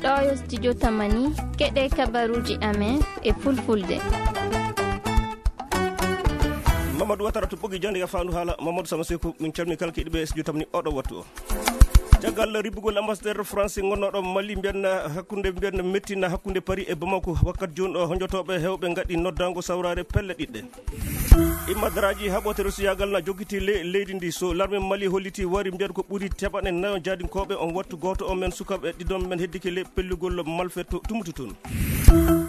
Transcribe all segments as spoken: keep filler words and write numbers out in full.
Ɗo yo studio Tamani, keɗe kabaruji amen e fulfulde. Mamadou Watara to ɓogi jande ya fandu hala Mamadou Sama Seku, min calmi kala kiɗi ɓe studio Tamani oɗo wattu o. Caggal ribbugol ambassadeur France gonnoɗo Mali, mbiyan hakkunde, mbiyan mettina hakkunde Paris e Bamako, wakkati joni o honjotoɓe hewɓe gaɗi noddango sawrare pelle ɗiɗɗe. Imma daraaji haɓotere suyagal na jokkiti le-, leydi ndi. So larme Mali holliti wari mbiyata ko ɓuri teɓanɗe nayo jaadinkooɓe on wattu gooto on men sukaaɓe ɗiɗon men heddike le pellugol malfeto tumuti toon.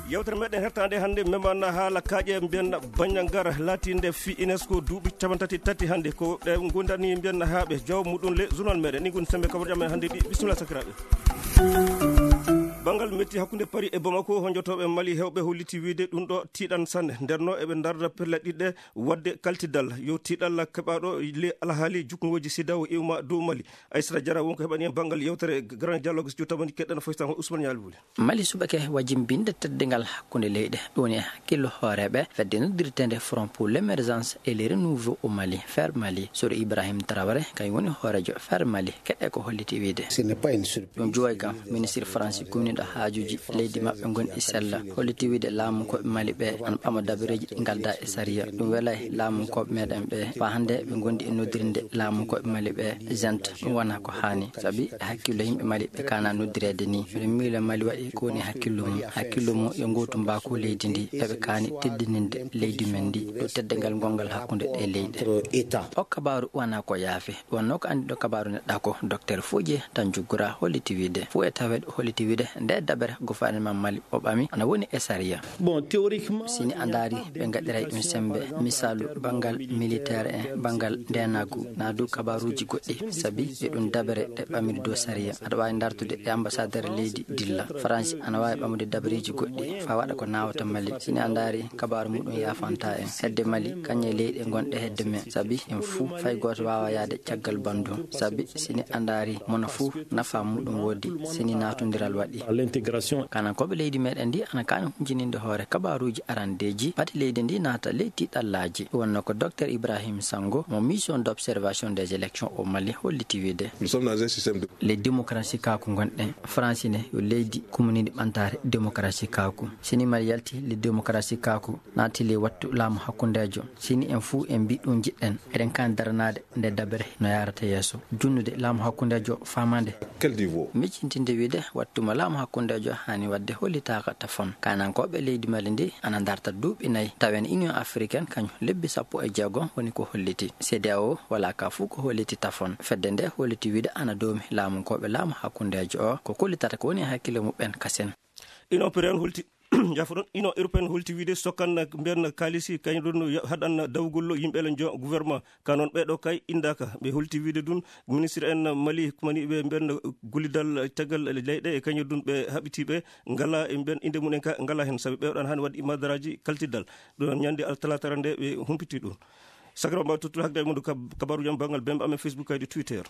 Yewtere meɗen hertande hannde memana haala kaaƴe mbiyan Bandiagara laatinde fi UNESCO duuɓi capantati tati hannde. Ko ɗe gondani mbiyan haaɓe jaw muɗum le journal meɗen. Ni gon sembe kabar jam en hannde ɗi. Bisimilla sakiraaɓe. Banngal metti hakkunde Paris e Bamako, honjotooɓe Mali hewɓe holliti wiide ɗum ɗo tiiɗan sanne. Nder no eɓe ndarda pelle ɗiɗɗe wadde kaltidal. Yo tiiɗalla keɓaɗo le alhaali jukkongoji CEDEAO iwma dow Mali. Aissata Diarra wonko heɓani en banngal yewtere Grand Dialogue studio Tamani keɗɗen foytan Ousmane Nial Wuli. Mali suɓake wajimbinde teddungal hakkunde leyɗe. Ɗum woni hakkillo hooreeɓe fedde noddirteende Front pour l'Emergence et le Renouveau au Mali, FER Mali, Sori Ibrahim Traoré, kañum woni hooreejo FER Mali. Keɗe ko holliti wiide. Ce n'est pas une surprise. Ɗum juway kam, ministre Faransi kumniɗo haajuji leydi maɓɓe gonɗi sella, holliti wiide laamu koɓe Mali ɓe ana ɓama dabareeji ɗi ngalda e sariya. Ɗum welay laamu koɓe meɗen ɓe. Fa hannde ɓe gondi e noddirde laamu koɓe Mali ɓe, gente, ɗum wona ko haani. Sabi e hakkillo yimɓe Mali ɓe kana noddireede ni. Miɗo miila Mali waɗi ko woni hakkillo mum. Hakkillo mum yo ngootu mbaaku leydi ndi. Eɓe kaani teddininde leydi men ndi. Ɗo teddungal ngongal hakkunde ɗe leyɗe. O kabaaru wona ko yaafi. Wonno ko anndi ɗo kabaaru neɗɗa ko Docteur Fodje Tanjugura holliti wiide. Fo e taweede holliti wiide nde dabere gouvernement Mali o ɓami ana woni e sariya. Bon, théoriquement, sini a ndaari ɓe ngaɗiray ɗum sembe. Misaalu, banngal militaire en, banngal ndenagu, na du kabaaruuji goɗɗi. Sabi e ɗum dabere ɗe ɓamiri dow sariya. Aɗa waawi ndartude e ambassadeur leydi dilla. Faransi ana waawi ɓamude dabareeji goɗɗi. Fa waɗa ko nawata Mali. Sini a ndaari kabaaru muɗum yaafanta en. Hedde Mali, kañe leyɗe gonɗe hedde men. Sabi en fuu fay gooto waawa yaade caggal banndum. Sabi sini a ndaari mona fuu nafa muɗum woodi. Sini natondiral waɗi. L'intégration. Kanankooɓe leydi meɗen ndi ana kaani huncininde hoore kabaaruuji arandeeji. Pati leydi ndi naata ley tiiɗallaaji. Wonno ko Docteur Ibrahim Sango, mo mission d'observation des élections au Mali, holliti wiide. Nous sommes dans un système de. Le démocratie kaaku gonɗen. Faransi ne yo leydi kumniiɗi ɓantaare démocratie kaaku. Sini Mali yalti le démocratie kaaku, naati ley wattu laamu hakkundeejo. Sini en fuu en mbi ɗum njiɗɗen. Eɗen kaani daranaade nde dabere no yaarata yeeso. Junnude laamu hakkundeejo faamande. Quel niveau? Miccintinde wiide wattuma laamu hakkundeejo haani waɗde hollitaaka tafon. Kanankooɓe leydi Mali ndi ana ndarta duuɓi nayi. Tawen Union Africaine kañum lebbi sappo e jeego woni ko holliti. CEDEAO wala ka fuu ko holliti tafon. Fedde nde holliti wiide ana doomi laamunkooɓe laamu hakkundeejo o. Ko kollitata ko woni hakkille muɓɓen kasen. Ino peren holti Jafo ɗon, Union Européenne holti wiide sokkan mbiyan kaalisi kañum ɗon haɗan dawgol yimɓe le jo gouvernement. Ka noon ɓeɗo kay indaka. Ɓe holti wiide ɗum ministre en Mali kumani ɓe mbiyan gullidal caggal leyɗe e kañum ɗum ɓe haɓitiɓe ngala e mbiyan inde mumen ka ngala hen. Sabi ɓe waɗan hani waɗi madaraji kaltiddal. Ɗum ñande altalatara nde ɓe humpiti ɗum. Sagra mbaw tuttude hakde e muɗum kab-, kabaru jam banngal bemɓe amen Facebook kaydi Twitter.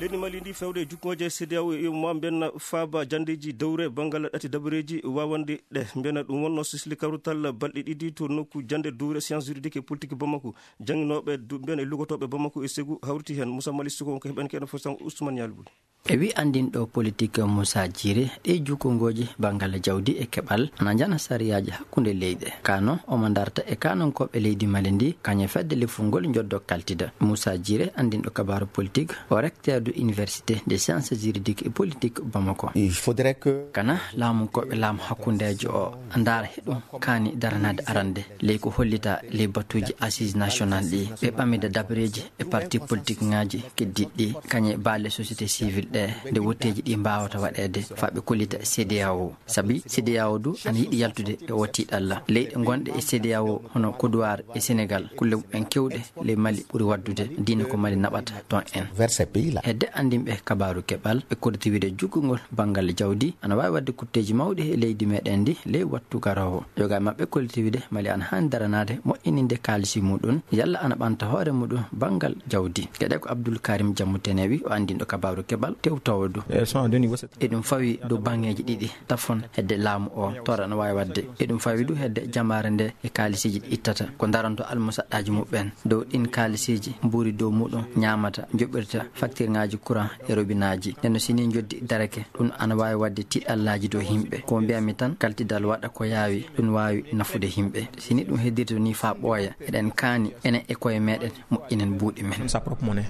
Leydi Mali ndi fewde e jukkoje CEDEAO e mo mbiyan faaba jandeji dowre banngal ɗati dabareji wawande ɗe. Mbiyana ɗum wonno sisli kawrital balɗe ɗiɗi to nokku jande dowre science juridique et politique Bamako. Jannginooɓe du-, mbiyana e lugotoɓe Bamako e Ségou hawriti hen. Moussa Mali Suko wonko heɓen keɗen fof tan Ousmane Nialbou. E wi anndinɗo politik Moussa Djiré, ɗe jukkongoji banngal jawdi e keɓal ana njana sariyaaji hakkunde leyɗe. Kano omo ndarta e kanankooɓe leydi Mali ndi, kañum fedde lefungol njoddo kaltida. Moussa Djiré, anndinɗo kabaru politik, o recteur de université des sciences juridiques et politiques Bamako. Il faudrait que kana laamunkooɓe laamu hakkundeejo o ndaara heɗum kaani daranaade arande ley ko hollita ley batuuji assises nationales ɗi, ɓe ɓamida dabareeji e parti politique ŋaaji keddiiɗi ɗi, kañe baale société civile ɗe, nde wotteeji ɗi mbaawata waɗeede, faa ɓe kollita CEDEAO. Sabi CEDEAO du ana yiɗi yaltude e o tiiɗalla. Leyɗe gonɗe e CEDEAO hono Côte d'Ivoire e Sénégal, kulle mumen kewɗe ley Mali ɓuri waddude, diina ko Mali naɓata toon en. Vers ces pays-là. Hedde anndinɓe kabaaru keɓal, ɓe kolliti wiide jukkungol banngal jawdi ana waawi waɗde kutteeji mawɗi e leydi meɗen ndi ley wattu garoowo. Yoga e maɓɓe kolliti wiide Mali ana haani daranaade moƴƴininde kaalisi muɗum, yalla ana ɓanta hoore muɗum banngal jawdi. Geɗe ko Abdoul Karim Diamou Tenewi, o anndinɗo kabaaru keɓal, tewtoowo du. Eɗum fawi dow baŋŋeeji ɗiɗi tafon hedde laamu o torra no waawi waɗde. Eɗum fawi du hedde jamaare nde e kaalisiiji ɗi ittata ko daranto almusaɗɗaaji muɓɓen dow ɗin kaalisiiji mbuuri dow muɗum ñaamata, joɓirta faktirŋaaji kuraŋ e robinaaji. Nden no si ni njoddi darake, ɗum ana waawi waɗde tiɗallaaji dow yimɓe. Ko mbiyammi tan, kaltidal waɗa ko yaawi, ɗum waawi nafude yimɓe. Si ni ɗum heddirto ni faa ɓooya, eɗen kaani enen e koye meɗen moƴƴinen buuɗi men.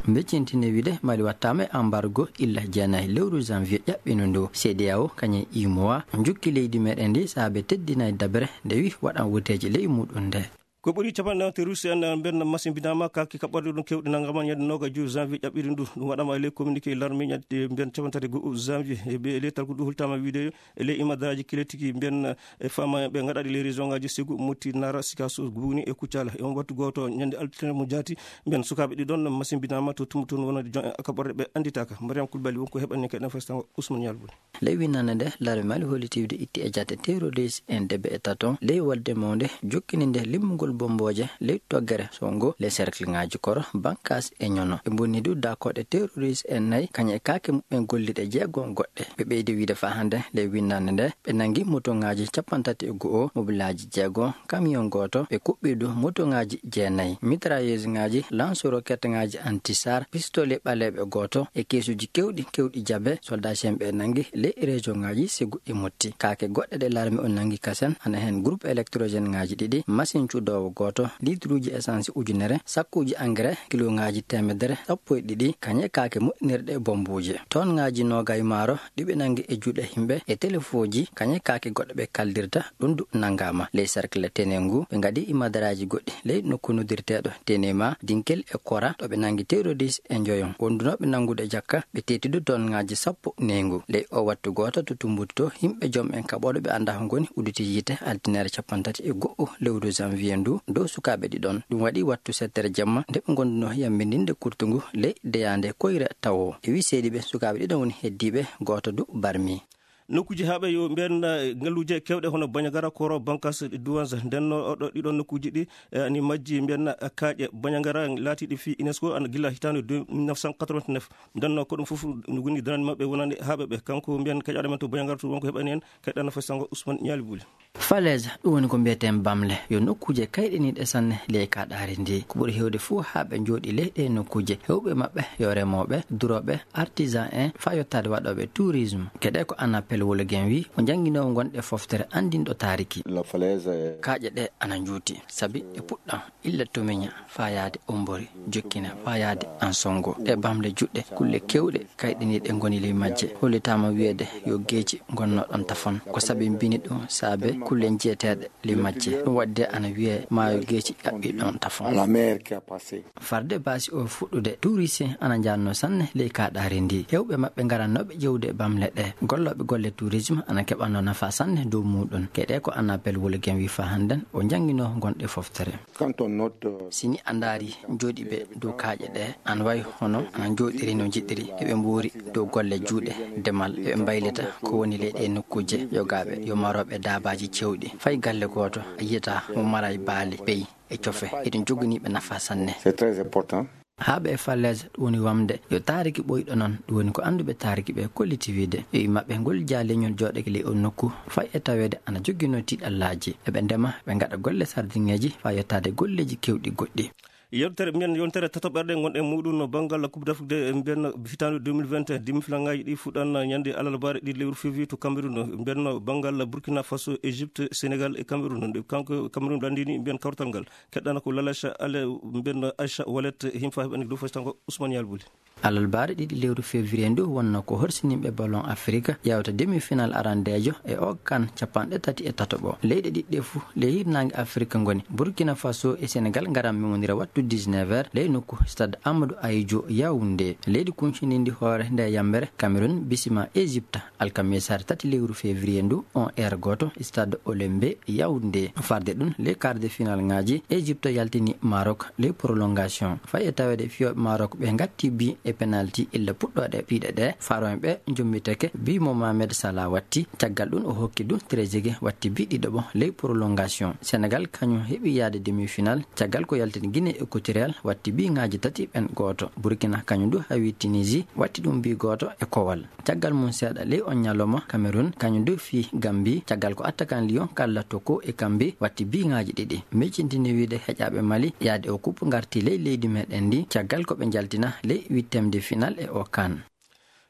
Mbeccintine wiide Mali wattaama e embargo illa jeenayi lewru janvier ƴaɓɓindu ndu. C D A O kañum e U M O A njukki leydi meɗen ndi saabe teddinayi dabere nde wi waɗan woteeji ley muɗum nde. Ko ɓuri capanɗe nayi terroriste en mbiyen masimbinaama, kaake kaɓɓorɗe ɗum keewɗe nanngama ñande noogaas e joy janvier ƴaɓɓiri ndu. Ɗum waɗama e ley communiqué larme ñande mbiyen capantati e go'o janvier. E ɓe leytal ko ɗum holtama wiide e ley imadaraaji kile tigi mbiyen e fama ɓe ngaɗaɗi ley région ngaji Ségou, Mopti, Nara, Sikasso, Gougni e Koutiala. E on wattu gooto ñande altine mo jaati mbiyen sukaaɓe ɗiɗon masimbinaama to Tumbutu wonande jon en kaɓɓorɗe ɓe annditaaka. Mariam Koulibaly wonko heɓani kadi en festango Ousmane Yalbou. Ley winnande nde, larme Mali holliti wiide itti e jate terroriste en debe e taton ley wolde mawnde jokkini nde limmugol bombooje ley toggere Songo, ley cercle ŋaaji Koro, Bankas e Ñono. Ɓe mbonni du daakooɗe terroriste en nayi, kañum e kaake muɓɓen golliɗe jeego goɗɗe. Ɓe ɓeydi wiide faa hannde ley winnande nde, ɓe nanngi motoŋaaji cappanɗe tati e go'o, mobilaaji jeego, camion gooto, ɓe kuɓɓi du motoŋaaji jeenayi, mitrailleuse ŋaaji, lance roquette ŋaaji anti-char, pistolet ɓaleeɓe gooto e keesuuji keewɗi, keewɗi jabe, soldat en ɓe nanngi ley région ŋaaji Ségou e Mopti. Kaake goɗɗe ɗe larme on nanngi kasen, ana heen groupe électrogène ŋaaji ɗiɗi, machine cuɗoowo gooto, litre uji essence ujunere, sakkuuji engrais, kilo ŋaaji teemedere, sappo e ɗiɗi, kañum e kaake moƴƴinirɗe bombuuje. Tonne ŋaaji noogaas maaro, ɗi ɓe nanngi e juuɗe yimɓe, e telefoji, kañum e kaake goɗɗe ɓe kaldirta, ɗum du nanngaama. Ley cercle Tenengu, ɓe ngaɗi imadaraaji goɗɗi ley nokku noddirteeɗo Tenema, Dinkel e Kora, ɗo ɓe nanngi terroriste e njoyon. Wondunooɓe nanngude jakka, ɓe teeti du tonne ŋaaji sappo neengu. Ley o wattu gooto to Tumbutu to, yimɓe joom en kaɓooɗo ɓe anndaa ko ngoni udditi yiite altinere cappanɗe tati e go'o lewru janvier ndu dow sukaaɓe ɗiɗon. Ɗum waɗi wattu settere jemma nde ɓe ngondunoo yammbindinde kurtungu ley deyaande Koyra tawo. E wii seediiɓe, sukaaɓe ɗiɗon woni heddiiɓe, gooto du barmi. Nokkuuji haaɓe yo mbiyen, eh, ngalluuje keewɗe hono Bandiagara, Koro, Bankas, Douenza. Nden no oɗo ɗiɗon nokkuuji ɗi, eh, ani majji mbiyen, eh, kaaƴe Bandiagara laatiiɗi fii UNESCO ana gila hitaande deux, mille neuf cent quatre-vingt-neuf. Nden no ko ɗum fof no woni darande maɓɓe wonande haaɓe ɓe. Kanko mbiyen keƴaaɗo men to Bandiagara to wonko heɓani en, keɗɗana fay sango Ousmane Ñaali Buli. Falaise, ɗum woni ko mbiyeten bamle, yo nokkuuje kayɗiniiɗe sanne ley kaaɗaari ndi. Ko ɓuri heewde fuu haa ɓe njooɗi ley ɗee nokkuuje, heewɓe maɓɓe yo remooɓe, durooɓe, artisan en, faa yottaade waɗooɓe tourisme. Geɗe ko Anna Pell Wologen wii, o jannginoowo ngonɗe foftere anndinɗo taariki. La falaise est Kaaƴe ɗe ana njuuti, sabi e puɗɗam, illa Tomiña faa yaade Ombori, jokkina faa yaade Ansongo. Ɗe bamle juɗɗe, kulle keewɗe kayɗiniiɗe ngoni ley majje. Hollitaama wiyeede yo geeci ngonno ɗon tafon. Ko sabi mbini ɗum saabe kulle njiyeteeɗe ley majje. Ɗum waɗde ana wiyee maayo geeci ƴaɓɓi ɗon tafon. La mer qui a passé. Farde baasi o fuɗɗude, tourisien ana njaannoo sanne ley kaaɗaari ndi. Heewɓe maɓɓe ngarannooɓe ƴeewde bamle ɗe. Gollooɓe golle tourisme ana keɓannoo nafaa sanne dow muuɗum. Geɗe ko Anna Pell Wologen wii faa hannden o jannginoo ngonɗe foftere. Quand on note, euh, Si ni a ndaari njooɗiiɓe dow kaaƴe ɗe, ana wayi hono ana njooɗiri no njiɗiri, eɓe mbuuri dow golle juuɗe, demal, eɓe mbaylita ko woni ley ɗee nokkuuje yogaaɓe, yo marooɓe daabaaji cewɗi. Fay galle gooto a yiyataa mo maraay baali, beyi e cofe. Eɗum joganii ɓe nafaa sanne. C'est très important. Haaɓe e falaise, ɗum woni wamde yo taariki ɓooyɗo noon. Ɗum woni ko annduɓe taariki ɓe kolliti wiide. Yo yimɓe maɓɓe ngol jaa leñol jooɗake ley on nokku, fay e taweede ana jogginoo tiiɗallaaji. Eɓe ndema, ɓe ngaɗa golle sardiŋeeji faa yottaade golleeji keewɗi goɗɗi. Yewtere, mbiyen yontere tataɓerde ngonɗen muuɗum no banngal Coupe d'Afrique de, mbiyen hitaande deux mille vingt et un, demi-finalaaji ɗi fuɗɗan ñande alarbaare ɗiɗi lewru février to Cameroun. Mbiyen banngal Burkina Faso, Égypte, Sénégal e Cameroun. Nde kanko Cameroun lanndini mbiyen kawtal ngal. Keɗɗana ko Lalacha Ale, mbiyen Aïcha Wallet, himfa heɓani dow faytango Ousmane Yalbuli. Alarbaare ɗiɗi lewru février ndu wonno ko horsininɓe ballon Afrique yawta demi-final arandeejo e o kan capanɗe tati e tataɓo. Leyɗe ɗiɗɗe fuu ley hirnaange Afrique ngoni. Burkina Faso e Sénégal ngaran memondira wattu dix-neuf heures ley nokku stade Amadou Ahidjo Yaoundé. Leydi kunciniindi hoore nde yambere Cameroun bisima Égypte alkamisa tati lewru février ndu on heure gooto stade Olembe Yaoundé. Farde ɗum ley quart de finale ngaaji, Égypte yaltini Maroc ley prolongation. Fay e taweede fiyooɓe Maroc ɓe ngatti bi e Penalti illa puɗɗooɗe piiɗe ɗe, Faroen ɓe njommitake, bi Mohamed Salah watti. Caggal ɗum o hokki ɗum Trezeguet watti bi ɗiɗaɓo ley prolongation. Senegal kañum heɓi yaade demi-final caggal ko yaltini Guinée Équatoriale watti bi ŋaaji tati ɓen gooto. Burkina kañum du hawi Tunisie watti ɗum bi gooto e kowal. Caggal mum seeɗa ley on ñalawma, Cameroun kañum du fii Gambie caggal ko attaquant Lyon Kalla Toko e Kambi watti bi ŋaaji ɗiɗi. Miccintini wiide heƴaaɓe Mali yaade o coupe ngarti ley leydi meɗen ndi caggal ko ɓe njaltina ley huitième de finale e o CAN.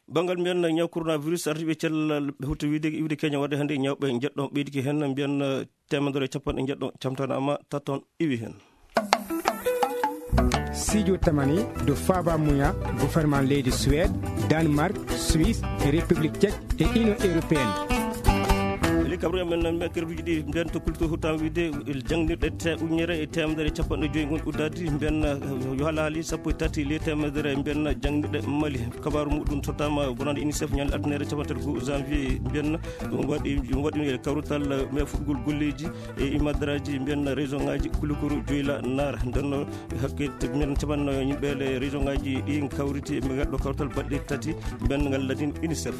Banngal mbiyen ñaw coronavirus ardiiɓe cellal ɓe hutti wiide iwde Kenya waɗde hannde ñawɓe njeɗɗo ɓeydike heen mbiyen teemedere e capanɗe njeɗɗo camtanaama tatton iwi heen. Sijo tamani do faba muya gouvernement leydi Suède, Danemark, Suisse, République Tchèque et Union Européenne. Eli kabru men men kerduji ɗi mbiyen to kulto hutan wiide il jangdirɗe te ujunere e teemedere e capanɗe joyi ngon uddadi mbiyen yo halaali sappo e tati le teemedere mbiyen jangdirɗe Mali. Kabaru muɗum sottama bonande UNICEF ñande altinere capanɗe tati janvier mbiyen ɗum waɗi ɗum waɗi e kawrutal me fuɗgol golleji e imadraji mbiyen région ngaji kulukuru joyla nara ndenno hakke mbiyen capanno yimɓe le région ngaji ɗi kawriti ɓe ngaddo kawtal baɗɗe tati mbiyen ngal ladin UNICEF.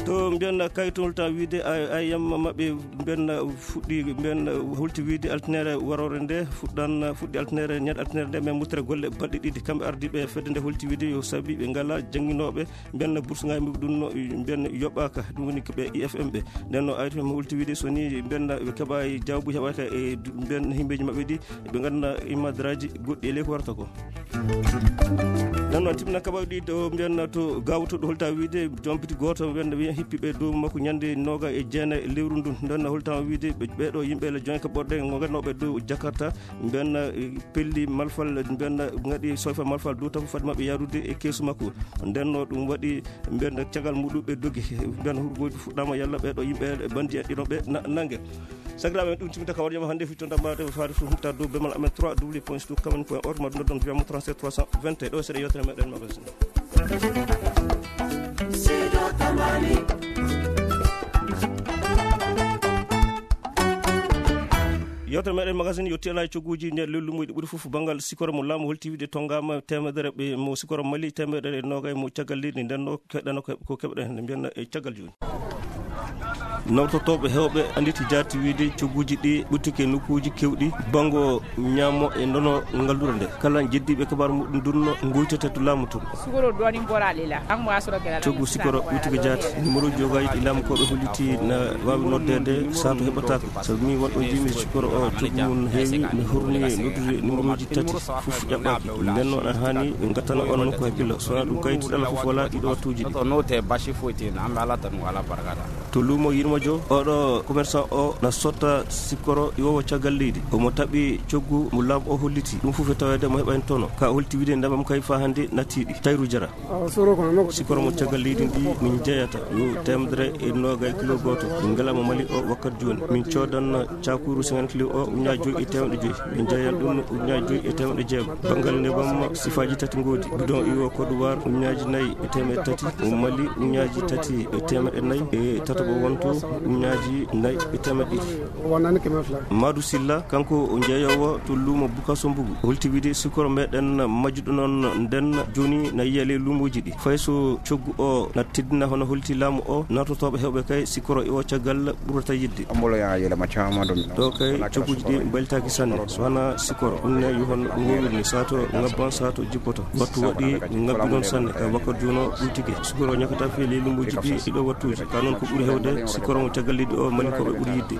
To mbiyen kayitol ta wiide ayam maɓɓe mbiyen fuɗɗi mbiyen holti wiide altinere warore nde fuɗɗan fuɗɗi altinere ñande altinere nde men muttere golle baɗɗe ɗiɗi kamɓe ardiɓe fedde nde holti wiide yo sabi ɓe ngala janginoɓe mbiyen bourse ngaji ɗum no mbiyen yoɓaka ɗum woni ko ɓe I F M ɓe nden no ayto mi holti wiide so ni mbiyen ɓe keɓa jawbu heɓaka e mbiyen himbeji maɓɓe ɗi ɓe ngannduɗaa imadraji goɗɗi e ley ko warata ko. Nan noon timna kaɓawɗi ɗo mbiyanna to gawtoɗo holta wiide jompiti goto mbiyanna wiya hippiɓe dow makko ñande noga e jeena e lewru ndun ndenna holtama wiide ɓeɗo yimɓe le joinka ɓorɗe gannoɓe dow jakarta mbiyanna pelli malfal mbiyanna gaɗi soyfa malfal dow tafu fadde maɓɓe yarude e keesu makko ndenno ɗum waɗi mbiyanna cagal muɗum ɓe dogi mbiyanna hurgoji fuɗɗama yalla ɓeɗo yimɓe bandi en ɗinoɓe nangue. Sakiraaɓe men ɗum timminta ka warjama hannde fitto ndammaade faade so humta dow bemal amen trois w point stu kamen point org ma ɗum noddon viyamo trente-sept trois cent vingt et un ɗo seeɗa yewtere meɗen magazine. Yewtere meɗen magazine yotti ala e cogguuji nder lellumo ɗi ɓuri fof banngal sikoro mo laamu holti wiide tongama temedere ɓe mo sikoro mali temedere e nogay mo caggal leydi ndenno keɗɗano ko keɓɗen hannde mbiyanna e caggal jooni. Nawtotooɓe heewɓe annditi jaati wiyde cogguuji ɗi ɓuttike nokkuuji keewɗi banngo ñaamo e ndono ngallure nde. Kala jeddiiɓe kabaar muɗum dunno ngoytete to laamu tun. Coggu sikoro ɓutike jaati numéro jogaaji ɗi laamukooɓe holliti na waawi noddeede sato heɓataako. Sabu mi wonɗo jiimi sikoro o coggu mum heewi mi horni noddude numéroji tati fof ƴaɓɓaaki. Nden noon a haani ɓe ngattana on nokku hakkillo. So wonaa ɗum kayit ɗala fof wala ɗiɗo wattuuji ɗi. To luumo yirmajo oɗo commerçant o na sotta sikkoro iwowo caggal leydi omo taɓi coggu mo laamu o holliti ɗum fof e taweede mo heɓani tono ka holti wiide ndamam kay fa hannde nattiɗi tayru jara. Sikkoro mo caggal leydi ndi min jeyata yo temedere e noga e kilo goto min ngalama mali o wakkat joni min codan cakuru cinquante kilo o uña joyi e temedde joyi min jeyan ɗum uña joyi e temedde jeego. Banngal nebam sifaji tati ngoodi bidon iwo kodowar uñaji nayi e temedde tati o mali uñaji tati e temedde nayi e tataɓo wonto uñaji nayi e temedde ɗiɗi. Madu silla kanko o jeeyowo to luumo buka sombugu holti wiide sikoro meɗen majjuɗo noon nden joni na yiya ley luumoji ɗi fay so coggu o na teddina hono holti laamu o nartotoɓe hewɓe kay sikoro iwo caggal ɓurata yidde. Ɗo kay cogguji ɗi mbaylitaaki sanne so wona sikoro ɗum ne yo hono ɗum wowirni sato ngabban sato jippoto wattu waɗi ngabbi noon sanne ka wakkat jono ɗum tigi sikoro ñakata fe ley lumbuji ɗi ɗiɗo wattuji ka noon ko ɓuri hewde sikoro mo caggal leydi o malinkooɓe ɓuri yidde.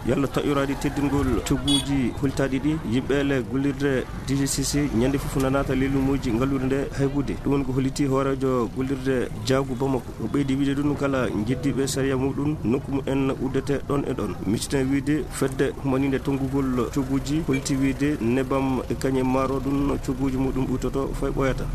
Yalla taƴoraɗi teddingol cogguji holtaɗi ɗi yimɓe le gollirde D G C C ñande fof na naata ley lumbuji ngallude nde haybude ɗum woni ko holliti hoorejo gollirde jaagu bamako. O ɓeydi wiide ɗum kala jeddiiɓe sariya muɗum nokku mumen uddete ɗon e ɗon micciten wiide fedde humaninde tonngugol cogguuji holti wiide nebam e kañe maaro ɗum cogguuji muɗum ɓuytoto fay ɓooyata.